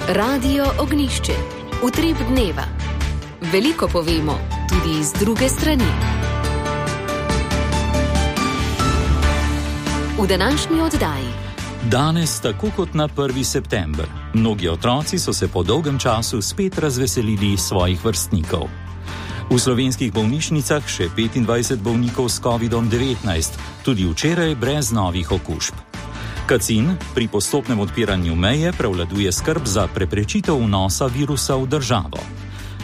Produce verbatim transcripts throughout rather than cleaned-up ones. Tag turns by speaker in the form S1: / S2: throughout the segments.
S1: Radio Ognjišče. Utrip dneva. Veliko povemo, tudi iz druge strani. V današnji oddaji.
S2: Danes, tako kot na prvi september, mnogi otroci so se po dolgem času spet razveselili svojih vrstnikov. V slovenskih bolnišnicah še petindvajset bolnikov s kovidom devetnajst, tudi včeraj brez novih okužb. Kacin pri postopnem odpiranju meje prevladuje skrb za preprečitev vnosa virusa v državo.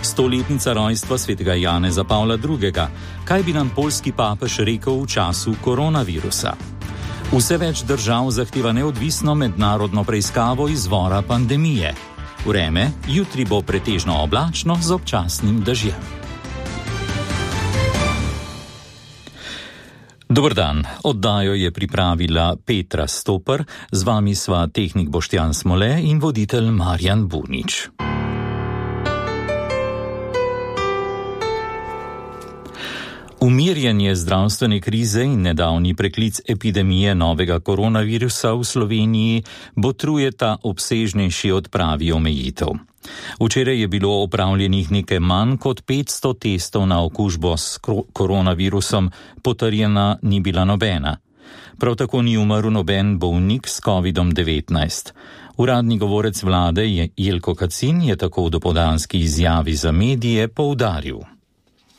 S2: Stoletnica rojstva svetega Janeza Pavla drugega. Kaj bi nam poljski papež rekel v času koronavirusa? Vse več držav zahteva neodvisno mednarodno preiskavo izvora pandemije. Vreme jutri bo pretežno oblačno z občasnim dežjem. Dober dan, oddajo je pripravila Petra Stoper, z vami sva tehnik Boštjan Smole in voditelj Marjan Bunič. Umirjanje zdravstvene krize in nedavni preklic epidemije novega koronavirusa v Sloveniji botrujeta obsežnejši odpravi omejitev. Včeraj je bilo opravljenih nekaj manj kot petsto testov na okužbo s koronavirusom, potrjena ni bila nobena. Prav tako ni umrl noben bolnik s kovidom devetnajst. Uradni govorec vlade Jelko Kacin je tako v dopoldanski izjavi za medije poudaril.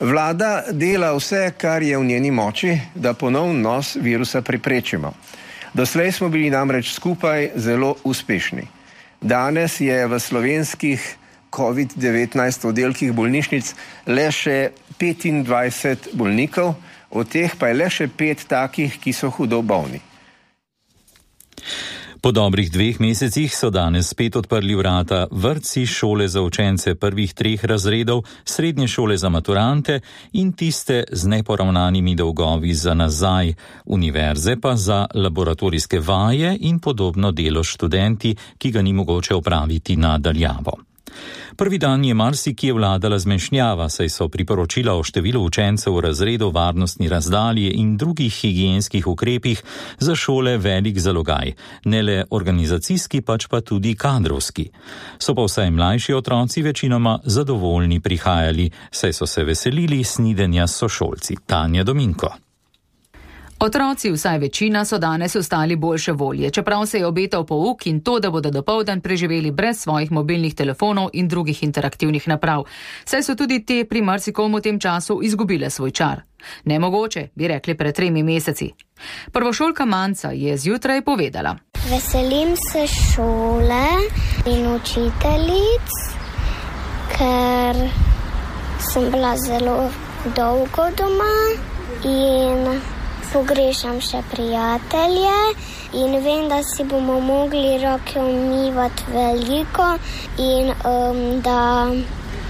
S3: Vlada dela vse, kar je v njeni moči, da ponovno nos virusa preprečimo. Doslej smo bili namreč skupaj zelo uspešni. Danes je v slovenskih covid devetnajst oddelkih bolnišnic le še petindvajset bolnikov, od teh pa je le še pet takih, ki so hudo bolni.
S2: Po dobrih dveh mesecih so danes spet odprli vrata vrtci, šole za učence prvih treh razredov, srednje šole za maturante in tiste z neporavnanimi dolgovi za nazaj, univerze pa za laboratorijske vaje in podobno delo s študenti, ki ga ni mogoče opraviti na daljavo. Prvi dan je marsikje vladala zmešnjava, saj so priporočila o številu učencev v razredu, varnostni razdalji in drugih higienskih ukrepih za šole velik zalogaj, ne le organizacijski, pač pa tudi kadrovski. So pa vsaj mlajši otroci večinoma zadovoljni prihajali, saj so se veselili snidenja s sošolci. Tanja Dominko.
S4: Otroci, vsaj večina, so danes ostali boljše volje, čeprav se je obetal pouk in to, da bodo dopoldan preživeli brez svojih mobilnih telefonov in drugih interaktivnih naprav. Saj so tudi te pri marsikomu v tem času izgubile svoj čar. Nemogoče, bi rekli pred tremi meseci. Prvošolka Manca je zjutraj povedala.
S5: Veselim se šole in učiteljic, ker sem bila zelo dolgo doma in pogrešam še prijatelje in vem, da si bomo mogli roke umivati veliko in um, da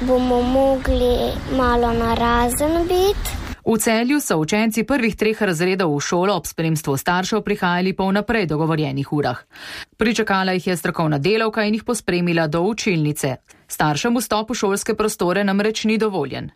S5: bomo mogli malo narazen biti.
S4: V Celju so učenci prvih treh razredov v šolo ob spremstvu staršev prihajali po vnaprej dogovorjenih urah. Pričakala jih je strokovna delavka in jih pospremila do učilnice. Staršem vstop v šolske prostore namreč ni dovoljen.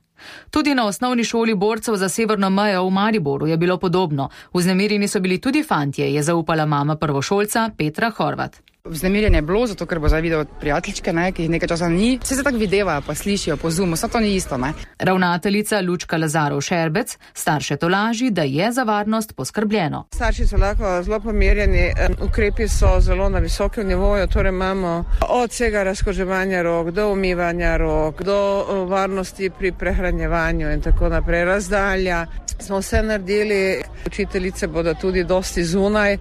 S4: Tudi na osnovni šoli borcev za severno mejo v Mariboru je bilo podobno. Vznemirjeni so bili tudi fantje, je zaupala mama prvošolca Petra Horvat.
S6: Vznemirjenje je bilo, zato ker bo zdaj videl prijateljčke, ne, ki jih nekaj časa ni. Vse se tako videvajo, pa slišijo po Zoomu, vse to ni isto, ne.
S4: Ravnateljica Lučka Lazarov Šerbec starše tolaži, da je za varnost poskrbljeno.
S7: Starši so lahko zelo pomirjeni, ukrepi so zelo na visokem nivoju, torej imamo od vsega razkoževanja rok, do umivanja rok, do varnosti pri prehranjevanju in tako naprej, razdalja. Smo vse naredili, učiteljice bodo tudi dosti zunaj,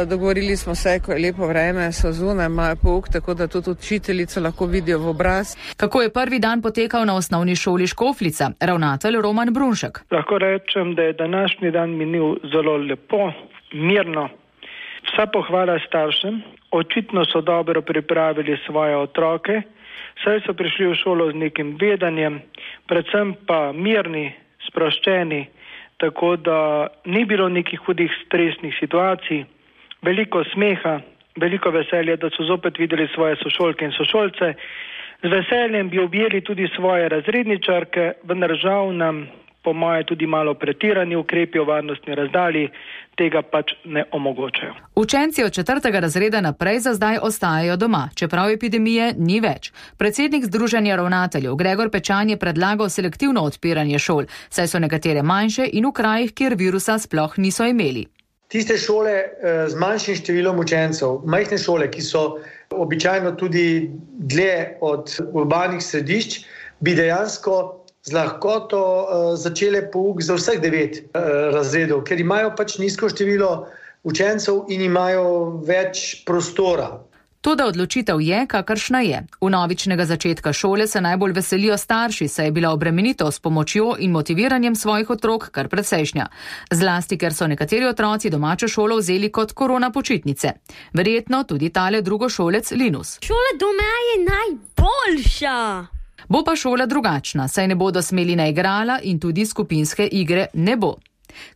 S7: dogovorili smo se, ko je lepo vreme, so zunaj, imajo pouk, tako da tudi učiteljice lahko vidijo v obraz.
S4: Kako je prvi dan potekal na osnovni šoli Škofljica? Ravnatelj Roman Brunšek.
S8: Lahko rečem, da je današnji dan minil zelo lepo, mirno. Vsa pohvala staršem, očitno so dobro pripravili svoje otroke, saj so prišli v šolo z nekim vedanjem, predvsem pa mirni, sproščeni, tako da ni bilo nekih hudih stresnih situacij, veliko smeha, veliko veselja, da so zopet videli svoje sošolke in sošolce. Z veseljem bi objeli tudi svoje razredničarke, vendar žal nam po moje tudi malo pretirani ukrepi o varnostni razdalji tega pač ne omogočajo.
S4: Učenci od četrtega razreda naprej za zdaj ostajajo doma, čeprav epidemije ni več. Predsednik Združenja ravnateljev Gregor Pečan je predlagal selektivno odpiranje šol, saj so nekatere manjše in v krajih, kjer virusa sploh niso imeli.
S9: Tiste šole z manjšim številom učencev, majhne šole, ki so običajno tudi dlje od urbanih središč, bi dejansko z lahkoto uh, začele pouk za vseh devet uh, razredov, ker imajo pač nizko število učencev in imajo več prostora.
S4: Toda odločitev je, kakršna je. Vnovičnega začetka šole se najbolj veselijo starši, saj je bila obremenitev s pomočjo in motiviranjem svojih otrok kar precejšnja. Zlasti, ker so nekateri otroci domačo šolo vzeli kot korona počitnice. Verjetno tudi tale drugošolec Linus.
S10: Šola doma je najboljša!
S4: Bo pa šola drugačna, saj ne bodo smeli na igrala in tudi skupinske igre ne bo.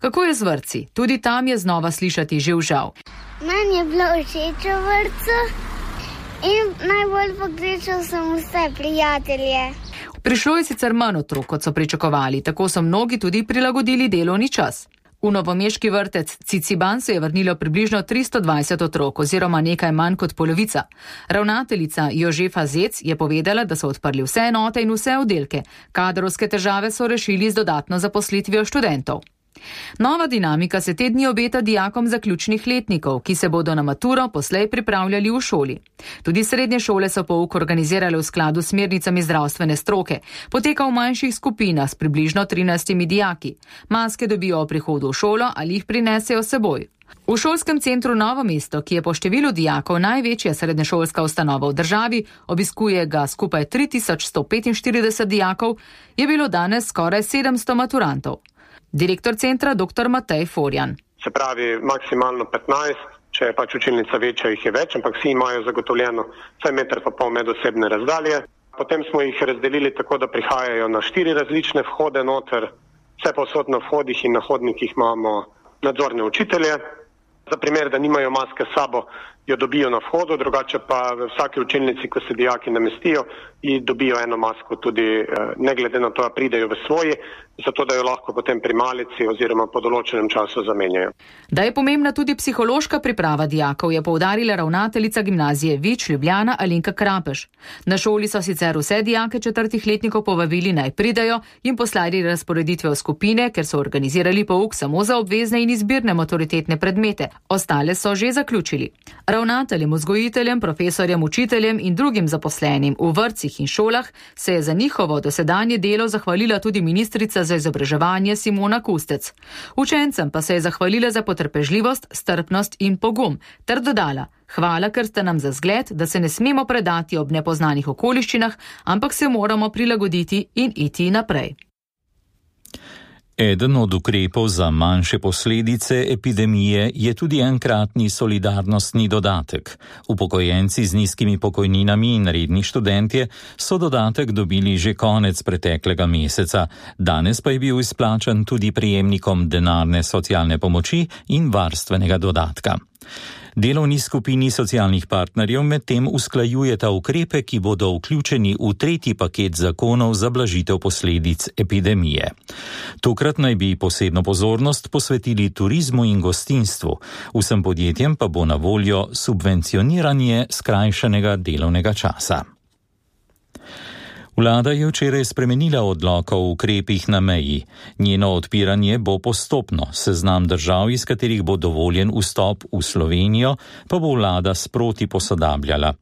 S4: Kako je z vrtci? Tudi tam je znova slišati živžav.
S5: Meni je bilo všeč v vrtcu in najbolj pogrešal sem vse prijatelje.
S4: Prišlo je sicer manj otrok, kot so pričakovali, tako so mnogi tudi prilagodili delovni čas. V novomeški vrtec Ciciban se je vrnilo približno tristo dvajset otrok oziroma nekaj manj kot polovica. Ravnateljica Jožefa Zec je povedala, da so odprli vse enote in vse oddelke. Kadrovske težave so rešili z dodatno zaposlitvijo študentov. Nova dinamika se te dni obeta dijakom zaključnih letnikov, ki se bodo na maturo poslej pripravljali v šoli. Tudi srednje šole so pouk organizirale v skladu s smernicami zdravstvene stroke. Poteka v manjših skupinah s približno trinajstimi dijaki. Maske dobijo ob prihodu v šolo ali jih prinesejo s seboj. V šolskem centru Novo mesto, ki je po številu dijakov največja srednješolska ustanova v državi, obiskuje ga skupaj tri tisoč sto petinštirideset dijakov, je bilo danes skoraj sedemsto maturantov. Direktor centra dr. Matej Forjan.
S11: Se pravi maksimalno petnajst, če je pač učilnica večja, jih je več, ampak vsi imajo zagotovljeno vsaj meter pa pol medosebne razdalje. Potem smo jih razdelili tako, da prihajajo na štiri različne vhode noter, vse povsod na vhodih in na hodnikih imamo nadzorne učitelje. Za primer, da nimajo maske s sabo, jo dobijo na vhodu, drugače pa v vsaki učilnici, ko se dijaki namestijo, ji dobijo eno masko tudi ne glede na to, da pridejo v svoji, zato da jo lahko potem pri malici oziroma po določenem času zamenjajo.
S4: Da je pomembna tudi psihološka priprava dijakov, je poudarila ravnateljica gimnazije Vič Ljubljana Alenka Krapeš. Na šoli so sicer vse dijake četrtih letnikov povabili naj pridejo in poslali razporeditve v skupine, ker so organizirali pouk samo za obvezne in izbirne maturitetne predmete. Ostale so že zaključili. Ravnateljem, vzgojiteljem, profesorjem, učiteljem in drugim zaposlenim v vrtcih in šolah se je za njihovo dosedanje delo zahvalila tudi ministrica za izobraževanje Simona Kustec. Učencem pa se je zahvalila za potrpežljivost, strpnost in pogum, ter dodala: hvala, ker ste nam za zgled, da se ne smemo predati ob nepoznanih okoliščinah, ampak se moramo prilagoditi in iti naprej.
S2: Eden od ukrepov za manjše posledice epidemije je tudi enkratni solidarnostni dodatek. Upokojenci z nizkimi pokojninami in redni študentje so dodatek dobili že konec preteklega meseca, danes pa je bil izplačan tudi prejemnikom denarne socialne pomoči in varstvenega dodatka. Delovni skupini socialnih partnerjev medtem usklajujeta ukrepe, ki bodo vključeni v tretji paket zakonov za blažitev posledic epidemije. Tokrat naj bi posebno pozornost posvetili turizmu in gostinstvu, vsem podjetjem pa bo na voljo subvencioniranje skrajšanega delovnega časa. Vlada je včeraj spremenila odlok o ukrepih na meji. Njeno odpiranje bo postopno. Seznam držav, iz katerih bo dovoljen vstop v Slovenijo, pa bo vlada sproti posodabljala.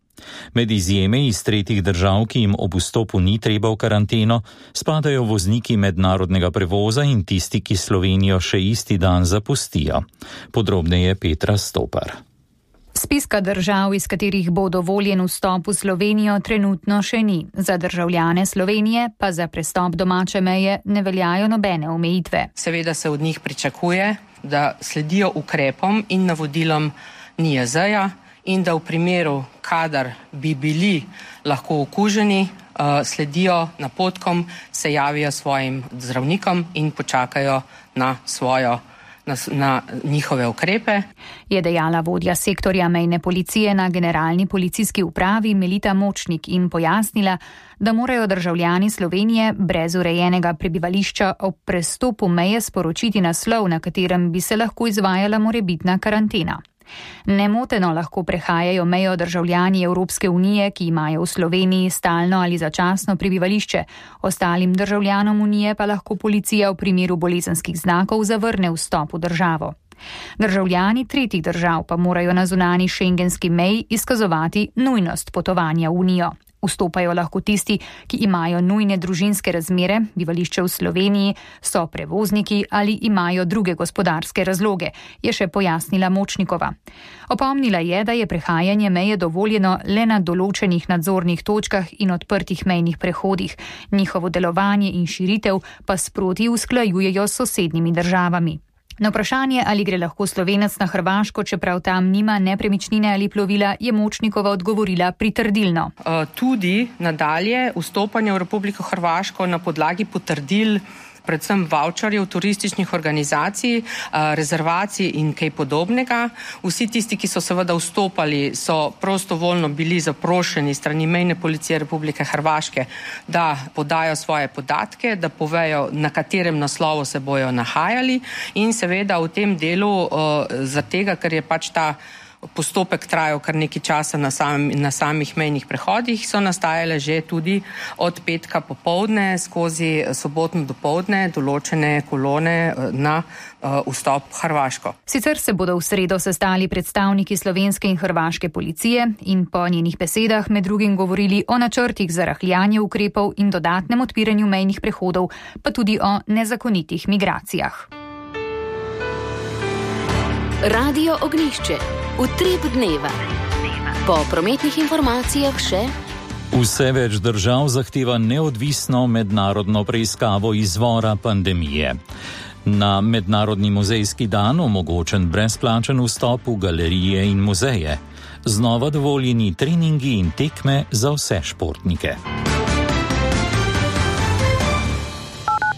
S2: Med izjeme iz tretjih držav, ki jim ob vstopu ni treba v karanteno, spadajo vozniki mednarodnega prevoza in tisti, ki Slovenijo še isti dan zapustijo. Podrobneje Petra Stopar.
S12: Spiska držav, iz katerih bo dovoljen vstop v Slovenijo, trenutno še ni. Za državljane Slovenije pa za prestop domače meje ne veljajo nobene omejitve.
S13: Seveda se od njih pričakuje, da sledijo ukrepom in navodilom N I J Z-ja in da v primeru, kadar bi bili lahko okuženi, sledijo napotkom, se javijo svojim zdravnikom in počakajo na svojo na, na njihove ukrepe.
S12: Je dejala vodja sektorja mejne policije na Generalni policijski upravi Melita Močnik in pojasnila, da morajo državljani Slovenije brez urejenega prebivališča ob prestopu meje sporočiti naslov, na katerem bi se lahko izvajala morebitna karantena. Nemoteno lahko prehajajo mejo državljani Evropske unije, ki imajo v Sloveniji stalno ali začasno prebivališče. Ostalim državljanom unije pa lahko policija v primeru bolezenskih znakov zavrne vstop v državo. Državljani tretjih držav pa morajo na zunanji šengenski meji izkazovati nujnost potovanja v unijo. Vstopajo lahko tisti, ki imajo nujne družinske razmere, bivališče v Sloveniji, so prevozniki ali imajo druge gospodarske razloge, je še pojasnila Močnikova. Opomnila je, da je prehajanje meje dovoljeno le na določenih nadzornih točkah in odprtih mejnih prehodih. Njihovo delovanje in širitev pa sproti usklajujejo s sosednjimi državami. Na vprašanje, ali gre lahko Slovenec na Hrvaško, čeprav tam nima nepremičnine ali plovila, je Močnikova odgovorila pritrdilno.
S13: Tudi nadalje vstopanje v Republiko Hrvaško na podlagi potrdil, predvsem voucherjev turističnih organizacij, rezervacij in kaj podobnega. Vsi tisti, ki so seveda vstopali, so prostovoljno bili zaprošeni strani mejne policije Republike Hrvaške, da podajo svoje podatke, da povejo, na katerem naslovu se bojo nahajali in seveda v tem delu, za tega, ker je pač ta postopek trajal kar nekaj časa na, sam, na samih mejnih prehodih, so nastajale že tudi od petka popoldne skozi sobotno dopoldne določene kolone na uh, vstop v Hrvaško.
S12: Sicer se bodo v sredo sestali predstavniki slovenske in hrvaške policije in po njenih besedah med drugim govorili o načrtih za rahljanje ukrepov in dodatnem odpiranju mejnih prehodov, pa tudi o nezakonitih migracijah.
S1: Radio Ognjišče. Utrip dneva. Po prometnih informacijah še.
S2: Vse več držav zahteva neodvisno mednarodno preiskavo izvora pandemije. Na Mednarodni muzejski dan omogočen brezplačen vstop v galerije in muzeje. Znova dovoljeni treningi in tekme za vse športnike.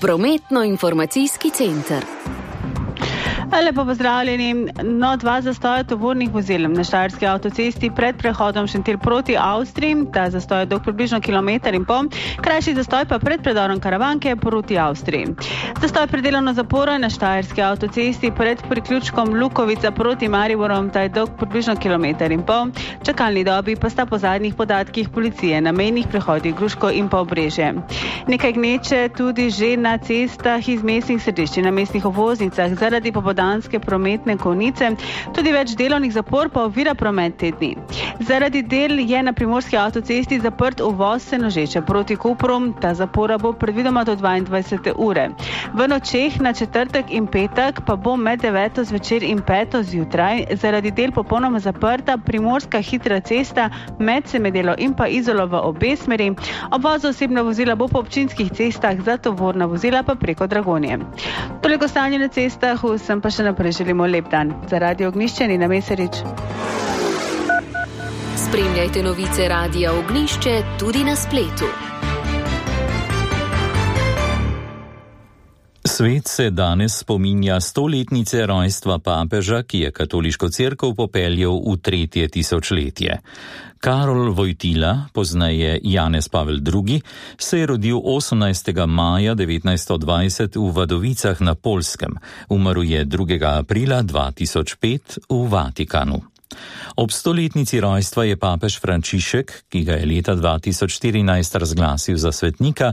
S1: Prometno-informacijski center.
S14: Lepo pozdravljeni. No, dva zastoja tovornih vozil na Štajerski avtocesti pred prehodom Šentilj proti Avstriji. Ta zastoj je dolg približno kilometer in pol, krajši zastoj pa pred predorom Karavanke proti Avstriji. Zastoj predelovno zaporo na Štajerski avtocesti pred priključkom Lukovica proti Mariborom, ta je dolg približno kilometer in pol. Čakalni dobi pa sta po zadnjih podatkih policije na mejnih prehodih Gruško in pa Obrežje. Nekaj gneče tudi že na cestah iz mestnih središč in na mestnih obvoznicah zaradi popoldanske prometne konice. Tudi več delovnih zapor pa ovira promet te dni. Zaradi del je na Primorski avtocesti zaprt uvoz Senožeče proti Kopru. Ta zapora bo predvidoma do dvaindvajsete ure. V nočeh na četrtek in petek pa bo med deveto zvečer in peto zjutraj zaradi del popolnoma zaprta Primorska hitra cesta med Semedelo in pa Izolo v obe smeri. Obvoz osebna vozila bo po občinskih cestah, za tovorna vozila pa preko Dragonje. Toliko stanje na cestah, vsem pa še naprej želimo lep dan. Za Radio Ognjišče Nina Mesarič.
S1: Spremljajte novice Radia Ognjišče tudi na spletu.
S2: Svet se danes spominja stoletnice rojstva papeža, ki je katoliško cerkev popeljal v tretje tisočletje. Karol Vojtila, pozneje Janez Pavel drugi, se je rodil osemnajstega maja devetnajststo dvajset v Vadovicah na Poljskem. Umrl je drugega aprila dva tisoč pet v Vatikanu. Ob stoletnici rojstva je papež Frančišek, ki ga je leta dva tisoč štirinajst razglasil za svetnika,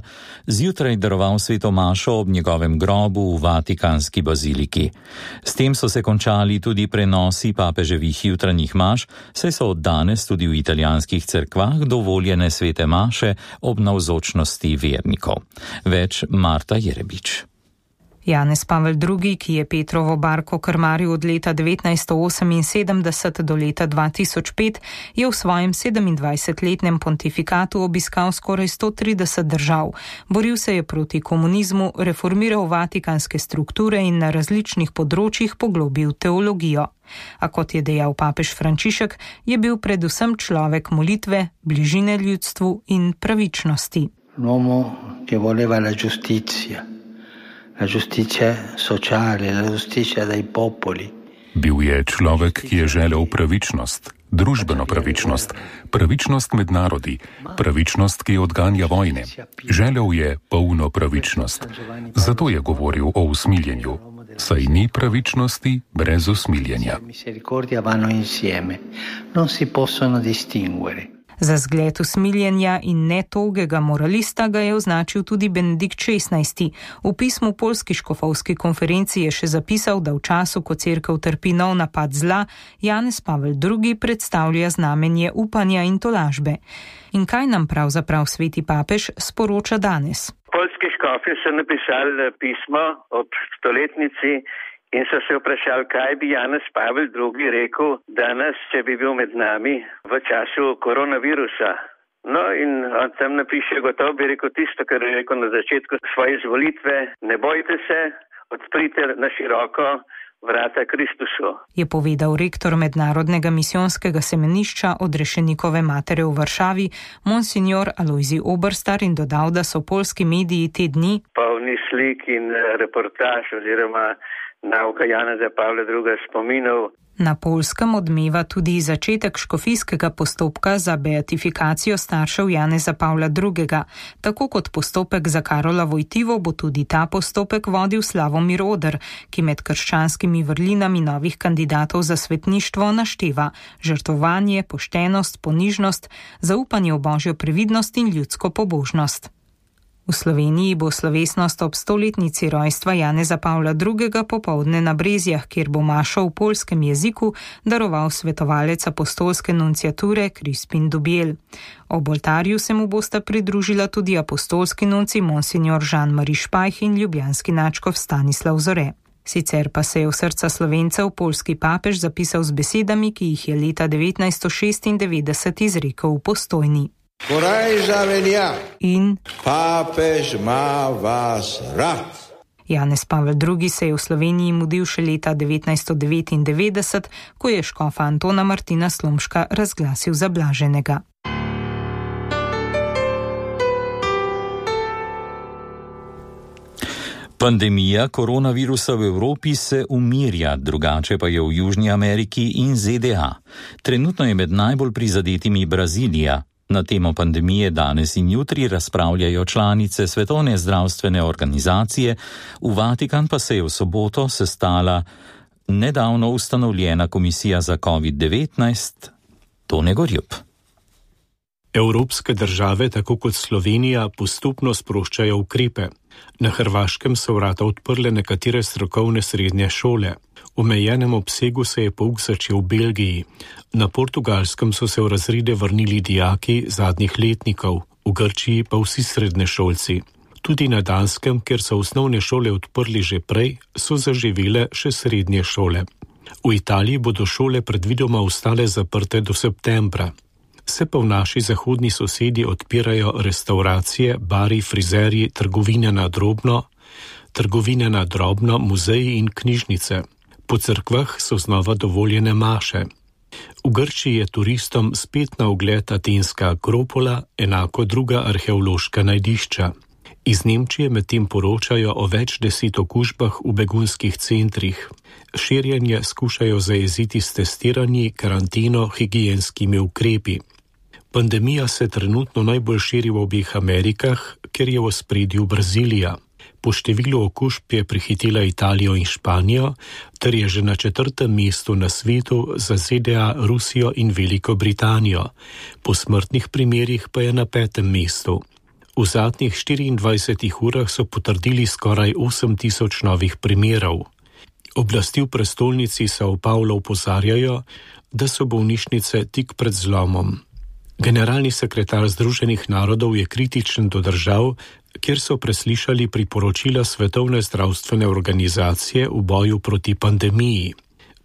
S2: zjutraj daroval sveto mašo ob njegovem grobu v Vatikanski baziliki. S tem so se končali tudi prenosi papeževih jutranjih maš, saj so od danes tudi v italijanskih cerkvah dovoljene svete maše ob navzočnosti vernikov. Več Marta Jerebič.
S15: Janez Pavel drugi, ki je Petrovo barko krmaril od leta devetnajststo oseminsedemdeset do leta dva tisoč pet, je v svojem sedemindvajsetletnem pontifikatu obiskal skoraj sto trideset držav. Boril se je proti komunizmu, reformiral vatikanske strukture in na različnih področjih poglobil teologijo. A kot je dejal papež Frančišek, je bil predvsem človek molitve, bližine ljudstvu in pravičnosti.
S16: L'uomo che voleva la giustizia, la giustizia sociale, la giustizia dai popoli.
S17: Bil je človek, ki je želel pravičnost, družbeno pravičnost, pravičnost med narodi, pravičnost, ki odganja vojne. Želel je polno pravičnost. Zato je govoril o usmiljenju. Saj ni pravičnosti brez usmiljenja.
S15: Za zgled usmiljenja in netogega moralista ga je označil tudi Benedikt šestnajsti. V pismu Poljski škofovski konferenci je še zapisal, da v času, ko cerkev trpi nov napad zla, Janez Pavel drugi predstavlja znamenje upanja in tolažbe. In kaj nam pravzaprav sveti papež sporoča danes?
S18: Poljski škofi so napisali pismo ob stoletnici in so se vprašali, kaj bi Janez Pavel drugi rekel danes, če bi bil med nami v času koronavirusa. No in on tam napiše, gotovo bi rekel tisto, kar je rekel na začetku svoje izvolitve: ne bojte se, odprite na široko vrata Kristusu.
S15: Je povedal rektor Mednarodnega misijonskega semenišča Odrešenikove matere v Varšavi, monsignor Alojzij Oberstar, in dodal, da so poljski mediji te dni
S18: polni slik in reportaž oziroma nauka Janeza Pavla drugega spominov.
S15: Na Poljskem odmeva tudi začetek škofijskega postopka za beatifikacijo staršev Janeza Pavla drugega. Tako kot postopek za Karola Vojtivo bo tudi ta postopek vodil Slavomir Oder, ki med krščanskimi vrlinami novih kandidatov za svetništvo našteva žrtvovanje, poštenost, ponižnost, zaupanje v božjo previdnost in ljudsko pobožnost. V Sloveniji bo slovesnost ob stoletnici rojstva Janeza Pavla drugega popoldne na Brezjah, kjer bo mašo v poljskem jeziku daroval svetovalec apostolske nunciature Crispin Dubiel. Ob oltarju se mu bosta pridružila tudi apostolski nunci monsignor Jean-Marie Špajh in ljubljanski nadškof Stanislav Zore. Sicer pa se je v srca Slovencev poljski papež zapisal z besedami, ki jih je leta devetnajststo šestindevetdeset izrekel v Postojni. In
S19: papež ima vas rad.
S15: Janez Pavel drugi se je v Sloveniji mudil še leta devetnajststo devetindevetdeset, ko je škofa Antona Martina Slomška razglasil za blaženega.
S2: Pandemija koronavirusa v Evropi se umirja, drugače pa je v Južni Ameriki in Z D A. Trenutno je med najbolj prizadetimi Brazilija. Na temo pandemije danes in jutri razpravljajo članice Svetovne zdravstvene organizacije, v Vatikan pa se je v soboto sestala nedavno ustanovljena komisija za covid devetnajst. Tone Gorjup.
S20: Evropske države, tako kot Slovenija, postopno sproščajo ukrepe. Na Hrvaškem so vrata odprle nekatere strokovne srednje šole. V omejenem obsegu se je pouk začel v Belgiji. Na Portugalskem so se v razrede vrnili dijaki zadnjih letnikov, v Grčiji pa vsi srednješolci. Tudi na Danskem, kjer so osnovne šole odprli že prej, so zaživele še srednje šole. V Italiji bodo šole predvidoma ostale zaprte do septembra. Se pa v naši zahodni sosedi odpirajo restauracije, bari, frizerji, trgovine na drobno, trgovine na drobno, muzeji in knjižnice. Po cerkvah so znova dovoljene maše. V Grčiji je turistom spet na ogled atenska Akropola, enako druga arheološka najdišča. Iz Nemčije medtem poročajo o več deset okužbah v begunskih centrih. Širjenje skušajo zajeziti s testiranji, karanteno, higienskimi ukrepi. Pandemija se trenutno najbolj širi v obeh Amerikah, ker je v ospredju Brazilija. Po številu okužb je prehitela Italijo in Španijo, ter je že na četrtem mestu na svetu za Z D A, Rusijo in Veliko Britanijo. Po smrtnih primerih pa je na petem mestu. V zadnjih štiriindvajsetih urah so potrdili skoraj osem tisoč novih primerov. Oblasti v prestolnici São Paulo opozarjajo, da so bolnišnice tik pred zlomom. Generalni sekretar Združenih narodov je kritičen do držav, kjer so preslišali priporočila Svetovne zdravstvene organizacije v boju proti pandemiji.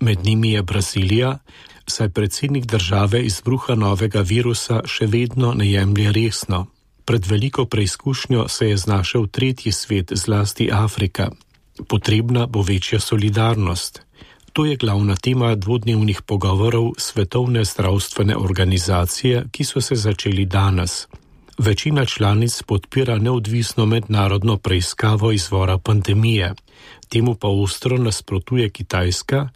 S20: Med njimi je Brazilija, saj predsednik države izbruha novega virusa še vedno ne jemlje resno. Pred veliko preizkušnjo se je znašel tretji svet, zlasti Afrika. Potrebna bo večja solidarnost. To je glavna tema dvodnevnih pogovorov Svetovne zdravstvene organizacije, ki so se začeli danes. Večina članic podpira neodvisno mednarodno preiskavo izvora pandemije. Temu pa ostro nasprotuje Kitajska,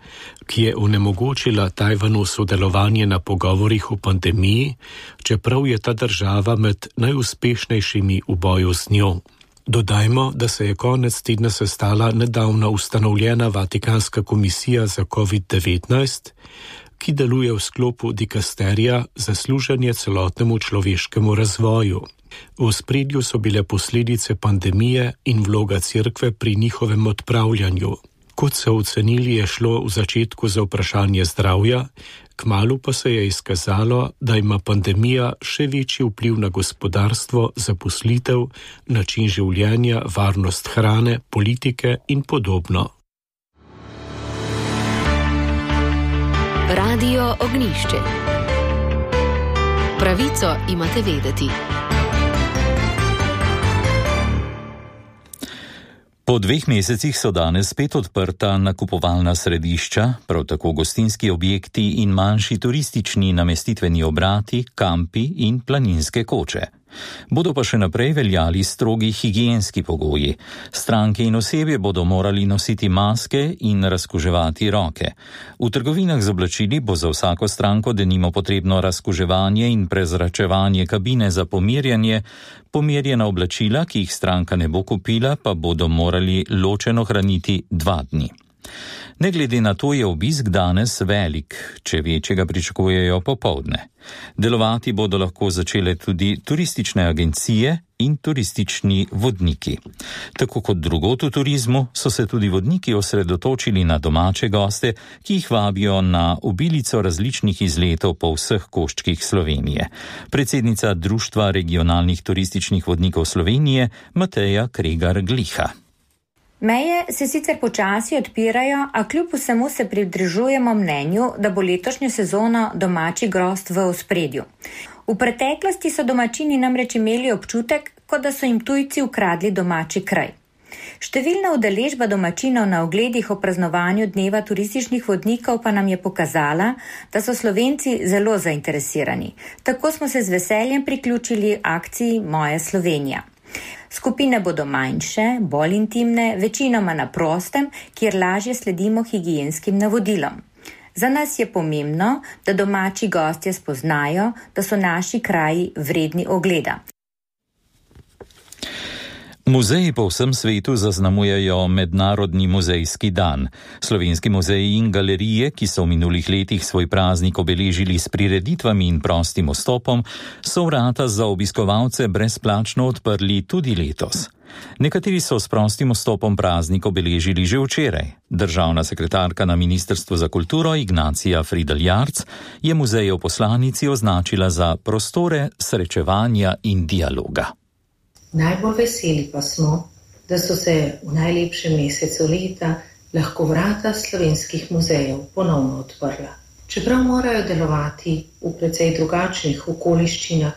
S20: ki je onemogočila Tajvanu sodelovanje na pogovorih o pandemiji, čeprav je ta država med najuspešnejšimi v boju z njo. Dodajmo, da se je konec tedna sestala nedavno ustanovljena Vatikanska komisija za covid devetnajst, ki deluje v sklopu dikasterija za služenje celotnemu človeškemu razvoju. V ospredju so bile posledice pandemije in vloga cerkve pri njihovem odpravljanju. Kot so ocenili, je šlo v začetku za vprašanje zdravja, kmalu pa se je izkazalo, da ima pandemija še večji vpliv na gospodarstvo, zaposlitev, način življenja, varnost hrane, politike in podobno.
S1: Radio Ognišče. Pravico imate vedeti.
S2: Po dveh mesecih so danes spet odprta nakupovalna središča, prav tako gostinski objekti in manjši turistični namestitveni obrati, kampi in planinske koče. Bodo pa še naprej veljali strogi higienski pogoji. Stranke in osebje bodo morali nositi maske in razkuževati roke. V trgovinah z oblačili bo za vsako stranko denimo potrebno razkuževanje in prezračevanje kabine za pomirjanje. Pomirjena oblačila, ki jih stranka ne bo kupila, pa bodo morali ločeno hraniti dva dni. Ne glede na to je obisk danes velik, če večjega pričakujejo popoldne. Delovati bodo lahko začele tudi turistične agencije in turistični vodniki. Tako kot drugot v turizmu so se tudi vodniki osredotočili na domače goste, ki jih vabijo na obilico različnih izletov po vseh koščkih Slovenije. Predsednica Društva regionalnih turističnih vodnikov Slovenije Mateja Kregar-Gliha.
S21: Meje se sicer počasi odpirajo, a kljub vsemu se pridržujemo mnenju, da bo letošnjo sezono domači grost v ospredju. V preteklosti so domačini namreč imeli občutek, kot da so jim tujci ukradli domači kraj. Številna udeležba domačinov na ogledih o praznovanju dneva turističnih vodnikov pa nam je pokazala, da so Slovenci zelo zainteresirani. Tako smo se z veseljem priključili akciji Moja Slovenija. Skupine bodo manjše, bolj intimne, večinoma na prostem, kjer lažje sledimo higienskim navodilom. Za nas je pomembno, da domači gostje spoznajo, da so naši kraji vredni ogleda.
S2: Muzeji po vsem svetu zaznamujejo Mednarodni muzejski dan. Slovenski muzeji in galerije, ki so v minulih letih svoj praznik obeležili s prireditvami in prostim vstopom, so vrata za obiskovalce brezplačno odprli tudi letos. Nekateri so s prostim vstopom praznik obeležili že včeraj. Državna sekretarka na Ministrstvu za kulturo Ignacija Fridl-Jarc je muzejev poslanici označila za prostore srečevanja in dialoga.
S22: Najbolj veseli pa smo, da so se v najlepšem mesecu leta lahko vrata slovenskih muzejev ponovno odprla. Čeprav morajo delovati v precej drugačnih okoliščinah,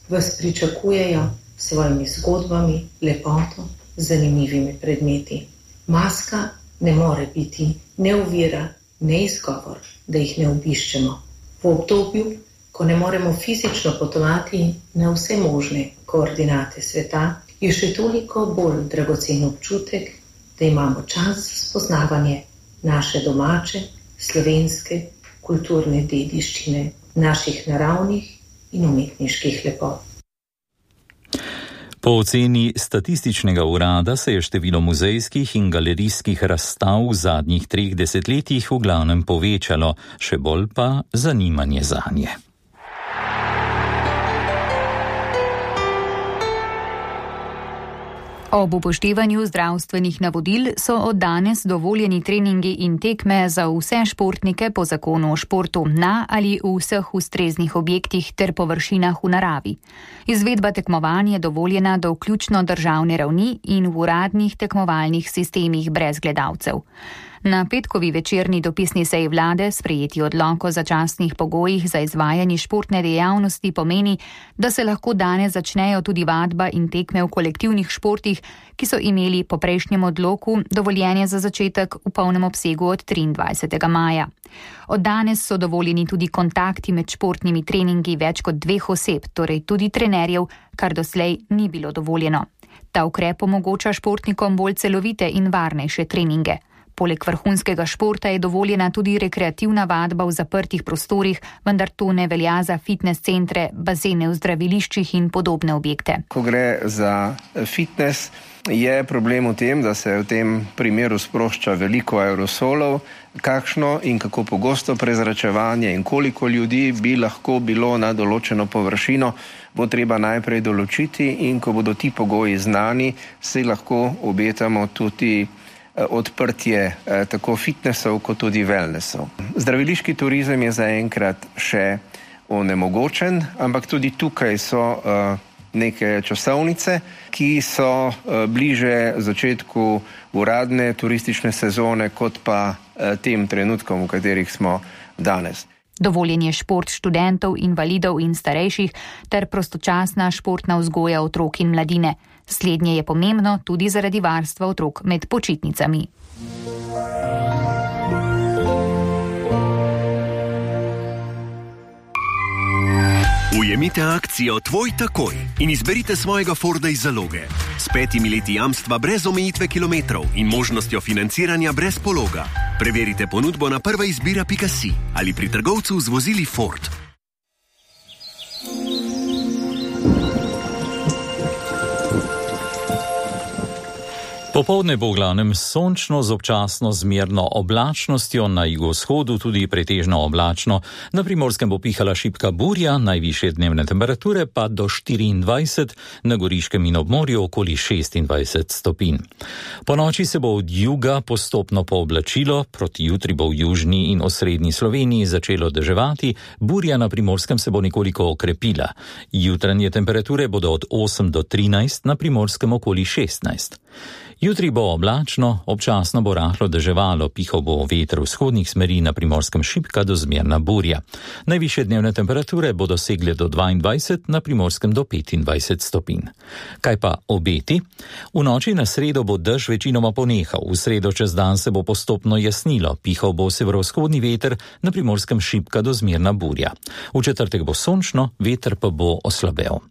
S22: vas pričakujejo s svojimi zgodbami, lepoto, zanimivimi predmeti. Maska ne more biti ne ovira, ne izgovor, da jih ne obiščemo. V obdobju, ko ne moremo fizično potovati na vse možne koordinate sveta, je še toliko bolj dragocen občutek, da imamo čas za spoznavanje naše domače, slovenske, kulturne dediščine, naših naravnih in umetniških lepot.
S2: Po oceni statističnega urada se je število muzejskih in galerijskih razstav v zadnjih treh desetletjih v glavnem povečalo, še bolj pa zanimanje zanje.
S12: Ob upoštevanju zdravstvenih navodil so od danes dovoljeni treningi in tekme za vse športnike po zakonu o športu na ali v vseh ustreznih objektih ter površinah v naravi. Izvedba tekmovanj je dovoljena do vključno državne ravni in v uradnih tekmovalnih sistemih brez gledalcev. Na petkovi večerni dopisni seji vlade sprejeti odlok o začasnih pogojih za izvajanje športne dejavnosti pomeni, da se lahko danes začnejo tudi vadba in tekme v kolektivnih športih, ki so imeli po prejšnjem odloku dovoljenje za začetek v polnem obsegu od triindvajsetega maja. Od danes so dovoljeni tudi kontakti med športnimi treningi več kot dveh oseb, torej tudi trenerjev, kar doslej ni bilo dovoljeno. Ta ukrep omogoča športnikom bolj celovite in varnejše treninge. Poleg vrhunskega športa je dovoljena tudi rekreativna vadba v zaprtih prostorih, vendar to ne velja za fitness centre, bazene v zdraviliščih in podobne objekte.
S3: Ko gre za fitness, je problem v tem, da se v tem primeru sprošča veliko aerosolov, kakšno in kako pogosto prezračevanje in koliko ljudi bi lahko bilo na določeno površino, bo treba najprej določiti, in ko bodo ti pogoji znani, si lahko obetamo tudi odprtje eh, tako fitnessov kot tudi wellnessov. Zdraviliški turizem je zaenkrat še onemogočen, ampak tudi tukaj so eh, neke časovnice, ki so eh, bliže začetku uradne turistične sezone kot pa eh, tem trenutkom, v katerih smo danes.
S12: Dovoljen je šport študentov, invalidov in starejših ter prostočasna športna vzgoja otrok in mladine. Slednje je pomembno tudi zaradi varstva otrok med počitnicami.
S6: Ujemite akcijo Tvoj takoj in izberite svojega Forda iz zaloge. S petimi leti jamstva brez omejitve kilometrov in možnostjo financiranja brez pologa. Preverite ponudbo na prva izbira pika si ali pri trgovcu z vozili Ford.
S2: Popoldne bo v glavnem sončno z občasno zmerno oblačnostjo, na jugovzhodu tudi pretežno oblačno. Na Primorskem bo pihala šibka burja, najvišje dnevne temperature pa do štiriindvajset, na Goriškem in ob morju okoli šestindvajset stopinj. Po noči se bo od juga postopno pooblačilo, proti jutri bo v južni in osrednji Sloveniji začelo deževati, burja na Primorskem se bo nekoliko okrepila. Jutranje temperature bodo od osem do trinajst, na Primorskem okoli šestnajst. Jutri bo oblačno, občasno bo rahlo deževalo, pihal bo veter vzhodnih smeri, na Primorskem šibka do zmerna burja. Najvišje dnevne temperature bodo segle do dvaindvajset, na Primorskem do petindvajset stopinj. Kaj pa obeti? V noči na sredo bo dež večinoma ponehal, v sredo čez dan se bo postopno jasnilo, pihal bo severovzhodni veter, na Primorskem šibka do zmerna burja. V četrtek bo sončno, veter pa bo oslabel.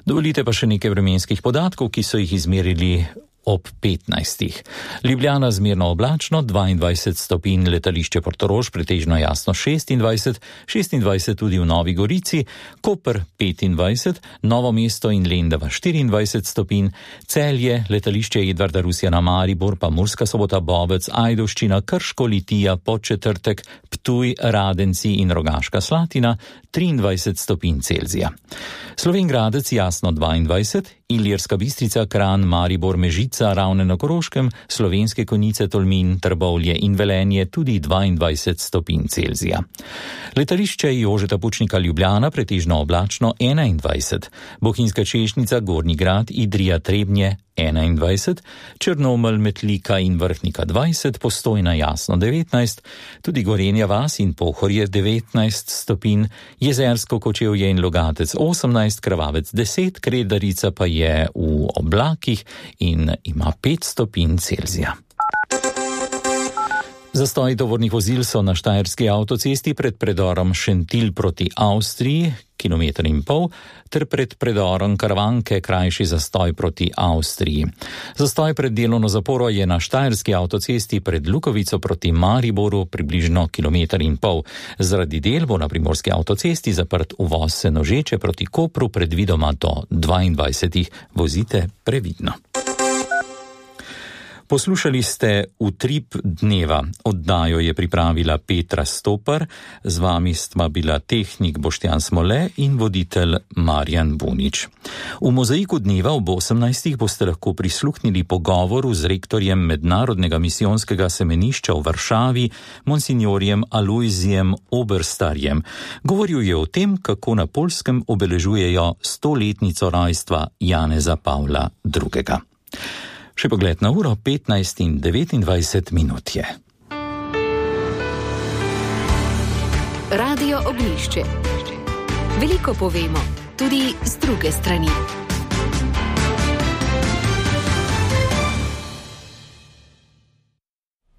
S2: Dovolite pa še nekaj vremenskih podatkov, ki so jih izmerili ob petnajstih. Ljubljana zmerno oblačno, dvaindvajset stopinj, letališče Portorož pretežno jasno šestindvajset, šestindvajset tudi v Novi Gorici, Koper petindvajset, Novo mesto in Lendava štiriindvajset stopinj, Celje, letališče Edvarda Rusjana Maribor, pa Murska Sobota, Bovec, Ajdovščina, Krško, Litija, Podčetrtek, Ptuj, Radenci in Rogaška Slatina triindvajset stopinj Celzija. Slovenj Gradec jasno dvaindvajset, Ilirska Bistrica, Kranj, Maribor, Mežica, Ravne na Koroškem, Slovenske Konjice, Tolmin, Trbovlje in Velenje tudi dvaindvajset stopinj Celzija. Letališče Jožeta Pučnika Ljubljana pretežno oblačno enaindvajset, Bohinjska Češnjica, Gornji Grad, Idrija, Trebnje enaindvajset, Črnomelj, Metlika in Vrhnika dvajset, Postojna jasno devetnajst, tudi Gorenja vas in Pohorje devetnajst stopinj, Jezersko, Kočevje in Logatec osemnajst, Krvavec deset, Kredarica pa je v oblakih in ima pet stopinj Celzija. Zastoji tovornih vozil so na Štajerski avtocesti pred predorom Šentilj proti Avstriji, kilometer in pol, ter pred predorom Karavanke krajši zastoj proti Avstriji. Zastoj pred delovno zaporo je na Štajerski avtocesti pred Lukovico proti Mariboru približno kilometer in pol. Zaradi del bo na Primorski avtocesti zaprt uvoz Senožeče proti Kopru predvidoma do dvaindvajsetih. Vozite previdno. Poslušali ste Utrip dneva. Oddajo je pripravila Petra Stopar, z vami sta bila tehnik Boštjan Smole in voditelj Marjan Bunič. V mozaiku dneva ob osemnajstih boste lahko prisluhnili pogovoru z rektorjem Mednarodnega misijonskega semenišča v Varšavi, monsinjorjem Alojzijem Oberstarjem. Govoril je o tem, kako na Poljskem obeležujejo stoletnico rojstva Janeza Pavla drugega. Še pogled na uro, petnajst in devetindvajset minut je.
S1: Radio Ognjišče. Veliko povemo, tudi z druge strani.